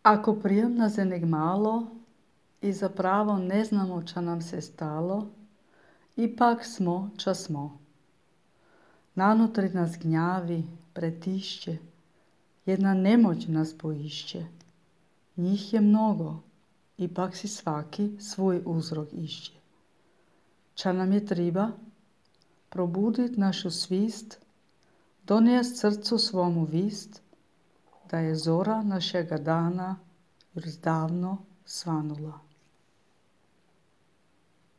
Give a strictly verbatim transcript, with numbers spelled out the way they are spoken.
Ako prijemna zenek malo i zapravo ne znamo ča nam se stalo, ipak smo ča smo. Nanutri nas gnjavi, pretišće, jedna nemoć nas poišće. Njih je mnogo, ipak si svaki svoj uzrok išće. Ča nam je triba? Probudit našu svist, donijest srcu svomu vist, da je zora našega dana još davno svanula.